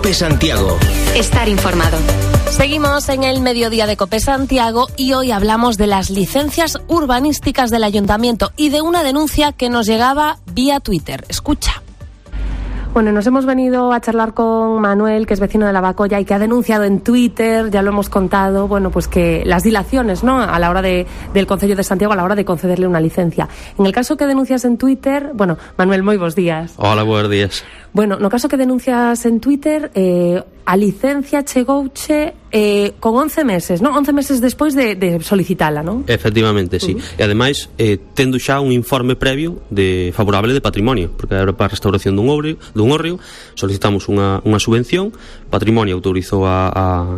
COPE Santiago. Estar informado. Seguimos en el mediodía de COPE Santiago y hoy hablamos de las licencias urbanísticas del Ayuntamiento y de una denuncia que nos llegaba vía Twitter. Escucha. Bueno, nos hemos venido a charlar con Manuel, que es vecino de Lavacolla y que ha denunciado en Twitter, ya lo hemos contado, bueno, pues que las dilaciones, ¿no?, a la hora del Concello de Santiago a la hora de concederle una licencia. En el caso que denuncias en Twitter, bueno, Manuel, moi bons días. Hola, buenos días. Bueno, no caso que denuncias en Twitter, a licencia chegouche con 11 meses, ¿no? 11 meses despois de solicitala, ¿no? Efectivamente, sí. E ademais, tendo xa un informe previo favorable de patrimonio, porque era para a restauración dun hórreo, solicitamos unha subvención, patrimonio autorizou a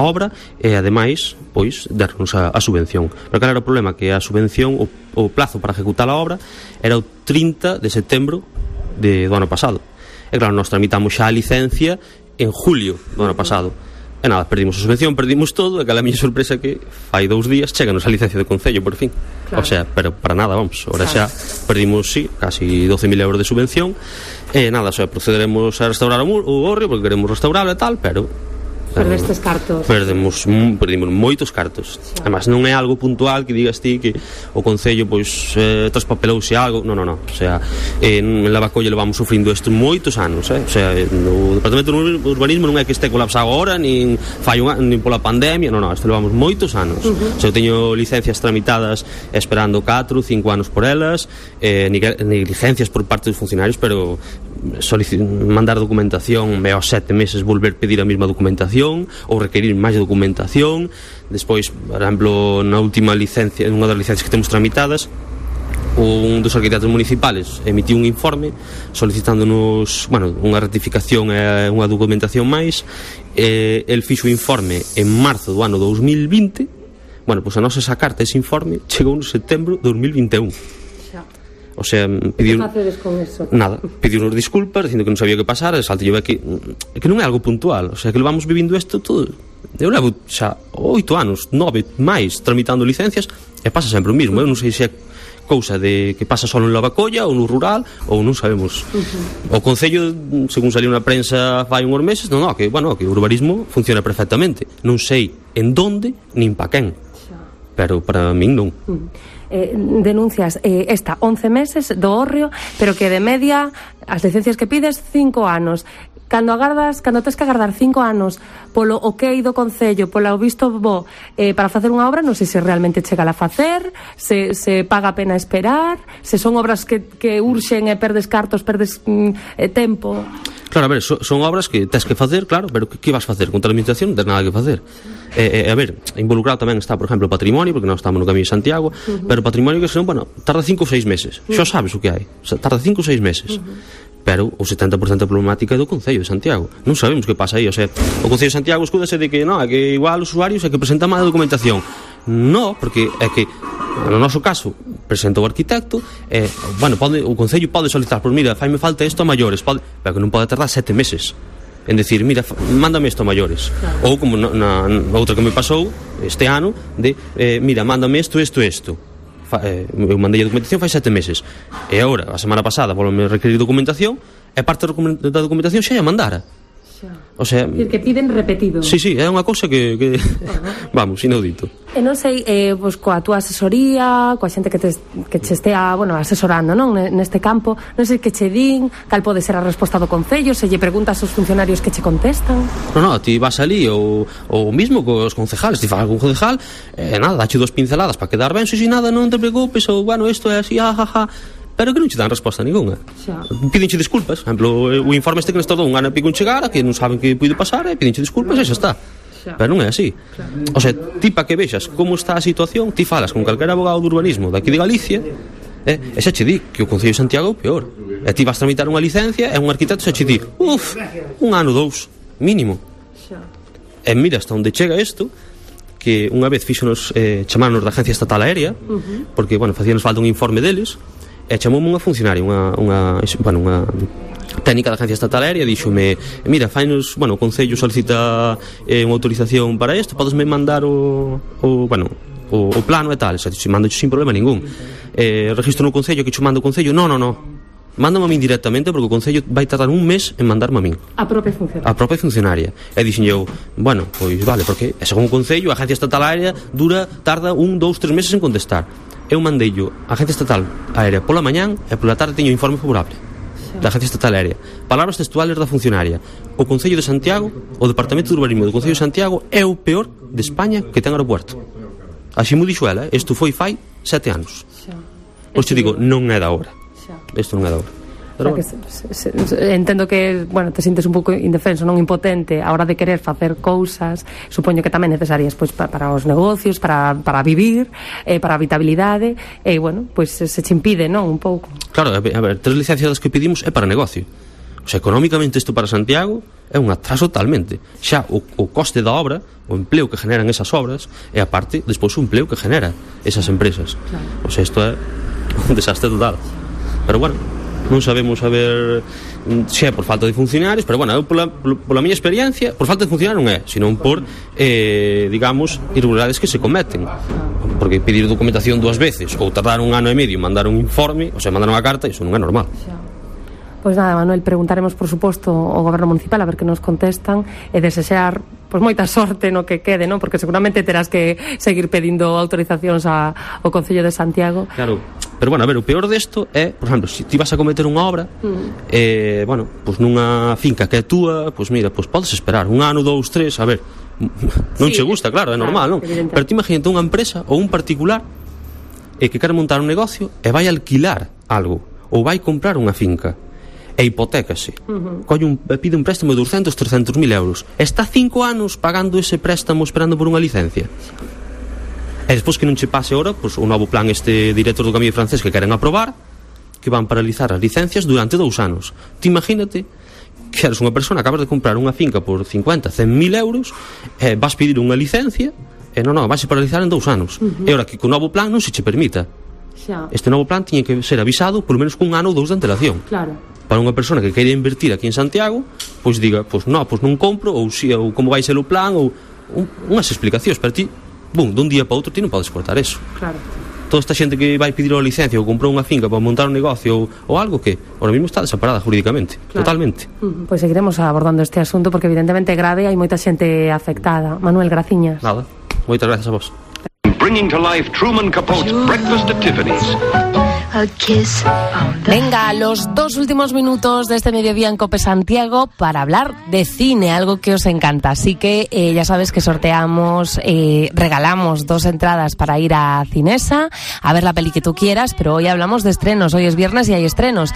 obra e ademais, pois, darnos a subvención. Pero cal era o problema? Que a subvención, o plazo para ejecutar a obra era o 30 de setembro do ano pasado. E claro, nós tramitamos xa a licencia en julio do ano pasado. E nada, perdimos a subvención, perdimos todo, e aquela miña sorpresa que fai 2 días cheganos a licencia de Concello, por fin. Claro. O sea, pero para nada, vamos, ahora xa perdimos, sí, casi 12.000 euros de subvención, e nada, o sea, procederemos a restaurar o hórreo, porque queremos restaurarlo e tal, pero perdestes cartos. Perdimos moitos cartos. Sí. Además, non é algo puntual que digas ti que o Concello pois traspapelouse algo. Non. O sea, en Lavacolla levamos sufrindo isto moitos anos, O sea, no Departamento de Urbanismo non é que este colapsado agora, nin pola pandemia, non, isto levamos moitos anos. O sea, eu teño licencias tramitadas esperando 4, 5 anos por elas, negligencias por parte dos funcionarios, pero mandar documentación e aos 7 meses volver pedir a mesma documentación ou requerir máis documentación. Despois, por exemplo, na última licencia, unha das licencias que temos tramitadas, un dos arquitectos municipales emitiu un informe solicitándonos, bueno, unha ratificación e unha documentación máis. El fixo o informe en marzo do ano 2020. Bueno, pois a nosa esa carta, ese informe chegou en setembro de 2021. O sea, que facedes con eso? Nada, pediunos disculpas dicindo que non sabía que pasar, e salte que non é algo puntual, o sea, que levamos vivindo isto todo. Eu levo xa 8 anos, 9 máis tramitando licencias e pasa sempre o mismo. Eu non sei se é cousa de que pasa só en Lavacolla ou no rural, ou non sabemos. O Concello, según saliu na prensa fai uns meses, que o urbanismo funciona perfectamente. Non sei en donde nin pa quen, pero para min non. Denuncias esta 11 meses do hórreo, pero que de media as licencias que pides 5 anos. Cando tes que agardar 5 anos polo ok do Concello, polo visto bo para facer unha obra, non sei se realmente chega a facer, se paga a pena esperar, se son obras que urxen e perdes cartos, perdes tempo. Claro, a ver, son obras que tes que facer, claro, pero que vas facer? Contra a administración non tens nada que facer. A ver, involucrado tamén está, por exemplo, o patrimonio, porque nós estamos no Camiño de Santiago, pero o patrimonio que senón, bueno, tarda 5 ou 6 meses. Xa sabes o que hai, tarda 5 ou 6 meses. Pero o 70% da problemática é do Concello de Santiago. Non sabemos que pasa aí, o sea, o Concello de Santiago escúdase de que, é que igual os usuarios é que presentan má documentación. Non, porque é que no noso caso presenta o arquitecto, o Concello pode solicitar, pois mira, faime falta isto a maiores, pero que non pode tardar 7 meses en decir, mira, mándame isto a maiores. Claro. Ou como na outra que me pasou este ano, de mira, mándame isto. Eu mandei a documentación fai 7 meses e agora, a semana pasada, volve a requerir documentación e parte da documentación xa a mandara. O sea, que piden repetido. Sí, é unha cousa que vamos, inaudito. E non sei, pois coa túa asesoría, coa xente que che estea, asesorando, non, neste campo, non sei que che din, cal pode ser a resposta do Concello, se lle preguntas aos funcionarios que che contestan. Non, ti vas ali ou mismo cos concejales, ti falas con concejal, nada, dache 2 pinceladas para quedar ben, si nada, non te preocupes, ou isto é así, pero que non che dan resposta ninguna. Pídenche disculpas. Por exemplo, o informe este que nos tardou un ano e pico en chegar, que non saben que puide pasar, e pídenche disculpas e xa está. Pero non é así. O sea, ti para que vexas como está a situación, ti falas con calquera abogado de urbanismo daqui de Galicia, e xa che di que o Concello de Santiago é o peor. E ti vas tramitar unha licencia e un arquitecto xa che di, un ano, 2, mínimo. E mira hasta onde chega isto, que unha vez fixonos chamarnos da Agencia Estatal Aérea, porque, facíanos falta un informe deles, e chamoume unha funcionaria, unha técnica da Agencia Estatal Aérea, díxome, mira, fainos, o Concello solicita unha autorización para isto, podesme mandar o plano e tal, se mando sin problema ningún. Registro no Concello, que che mando o Concello, non, mándame a min directamente, porque o Concello vai tardar un mes en mandarme a min. A propia funcionaria. A propia funcionaria. E dixen eu, bueno, pois vale, porque según o Concello, a Agencia Estatal Aérea tarda 1, 2, 3 meses en contestar. Eu mandeillo a Agencia Estatal Aérea pola mañán e pola tarde teño informe favorable da Agencia Estatal Aérea. Palabras textuales da funcionaria: o Concello de Santiago, o Departamento de Urbanismo do Concello de Santiago é o peor de España que ten aeropuerto. Así mo dixo ela, isto foi fai 7 anos. Pois te digo, non é da hora. Isto non é da hora. Pero entendo que, bueno, te sintes un pouco indefenso, non impotente a hora de querer facer cousas, supoño que tamén necesarias pois para os negocios, para vivir, para a habitabilidade, e bueno, pois se che impide, non, un pouco. Claro, a ver, 3 licencias que pedimos é para negocio. O sea, económicamente isto para Santiago é un atraso totalmente. Xa o coste da obra, o empleo que generan esas obras, e aparte, despois o empleo que genera esas empresas. Claro. O sea, isto é un desastre total. Pero bueno, non sabemos a ver se é por falta de funcionarios, pero bueno, eu pola miña experiencia, por falta de funcionarios non é, senón por digamos, irregularidades que se cometen, porque pedir documentación 2 veces ou tardar 1 ano e medio mandar un informe, o sea, mandar unha carta, iso non é normal. Pois nada, Manuel, preguntaremos por suposto ao Goberno Municipal a ver que nos contestan e desexar pois moita sorte no que quede, non? Porque seguramente terás que seguir pedindo autorizacións ao Concello de Santiago. Claro, pero bueno, a ver, o peor desto é, por exemplo, se ti vas a cometer unha obra bueno, pois nunha finca que é túa, pois mira, pois podes esperar 1 ano, 2, 3, a ver, non che gusta, claro, é normal, non? Pero ti imagínate unha empresa ou un particular que quere montar un negocio e vai alquilar algo ou vai comprar unha finca e hipotécase, pide un préstamo de 200, 300 mil euros, está 5 anos pagando ese préstamo esperando por unha licencia, e despois que non che pase ahora pois, o novo plan director do Camiño francés que queren aprobar, que van paralizar as licencias durante 2 anos. Ti imagínate que eres unha persona, acabas de comprar unha finca por 50, 100 mil euros, vas pedir unha licencia e non, vais a paralizar en 2 anos, e ahora que co novo plan non se che permita. Este novo plan tiña que ser avisado polo menos cun ano ou 2 de antelación. Claro. Para unha persona que queira invertir aquí en Santiago, pois diga, pois non compro, ou como vai ser o plan, ou unhas explicacións, pero ti, dun día para outro ti non podes cortar eso. Claro. Toda esta xente que vai pedir a licencia ou comprou unha finca para montar un negocio ou algo que ahora mesmo está desamparada jurídicamente, claro. Totalmente. Pois seguiremos abordando este asunto porque evidentemente é grave e hai moita xente afectada. Manuel, graciñas. Nada, moitas gracias a vos. Bringing to life Truman Capote's Breakfast at Tiffany's. A kiss on the... Venga, los 2 últimos minutos de este mediodía en COPE Santiago para hablar de cine, algo que os encanta. Así que ya sabes que regalamos 2 entradas para ir a Cinesa a ver la peli que tú quieras, pero hoy hablamos de estrenos. Hoy es viernes y hay estrenos.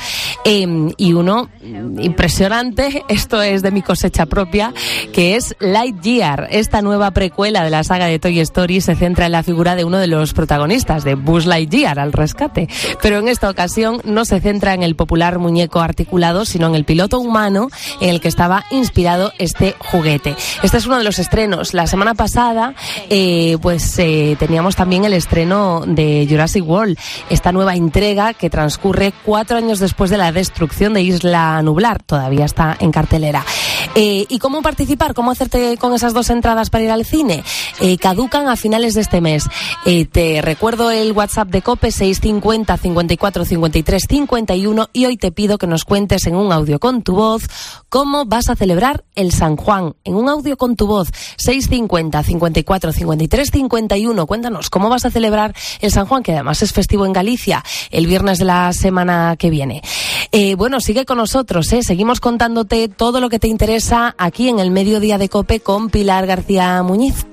Y uno impresionante, esto es de mi cosecha propia, que es Lightyear. Esta nueva precuela de la saga de Toy Story se centra en la figura de uno de los protagonistas, de Buzz Lightyear, al rescate. Pero en esta ocasión no se centra en el popular muñeco articulado, sino en el piloto humano en el que estaba inspirado este juguete. Este es uno de los estrenos. La semana pasada teníamos también el estreno de Jurassic World, esta nueva entrega que transcurre 4 años después de la destrucción de Isla Nublar. Todavía está en cartelera. ¿Y cómo participar? ¿Cómo hacerte con esas 2 entradas para ir al cine? Caducan a finales de este mes. Te recuerdo el WhatsApp de COPE 650 54 53 51 y hoy te pido que nos cuentes en un audio con tu voz cómo vas a celebrar el San Juan. En un audio con tu voz 650 54 53 51. Cuéntanos cómo vas a celebrar el San Juan, que además es festivo en Galicia el viernes de la semana que viene. Sigue con nosotros, seguimos contándote todo lo que te interesa aquí en el Mediodía de COPE con Pilar García Muñiz.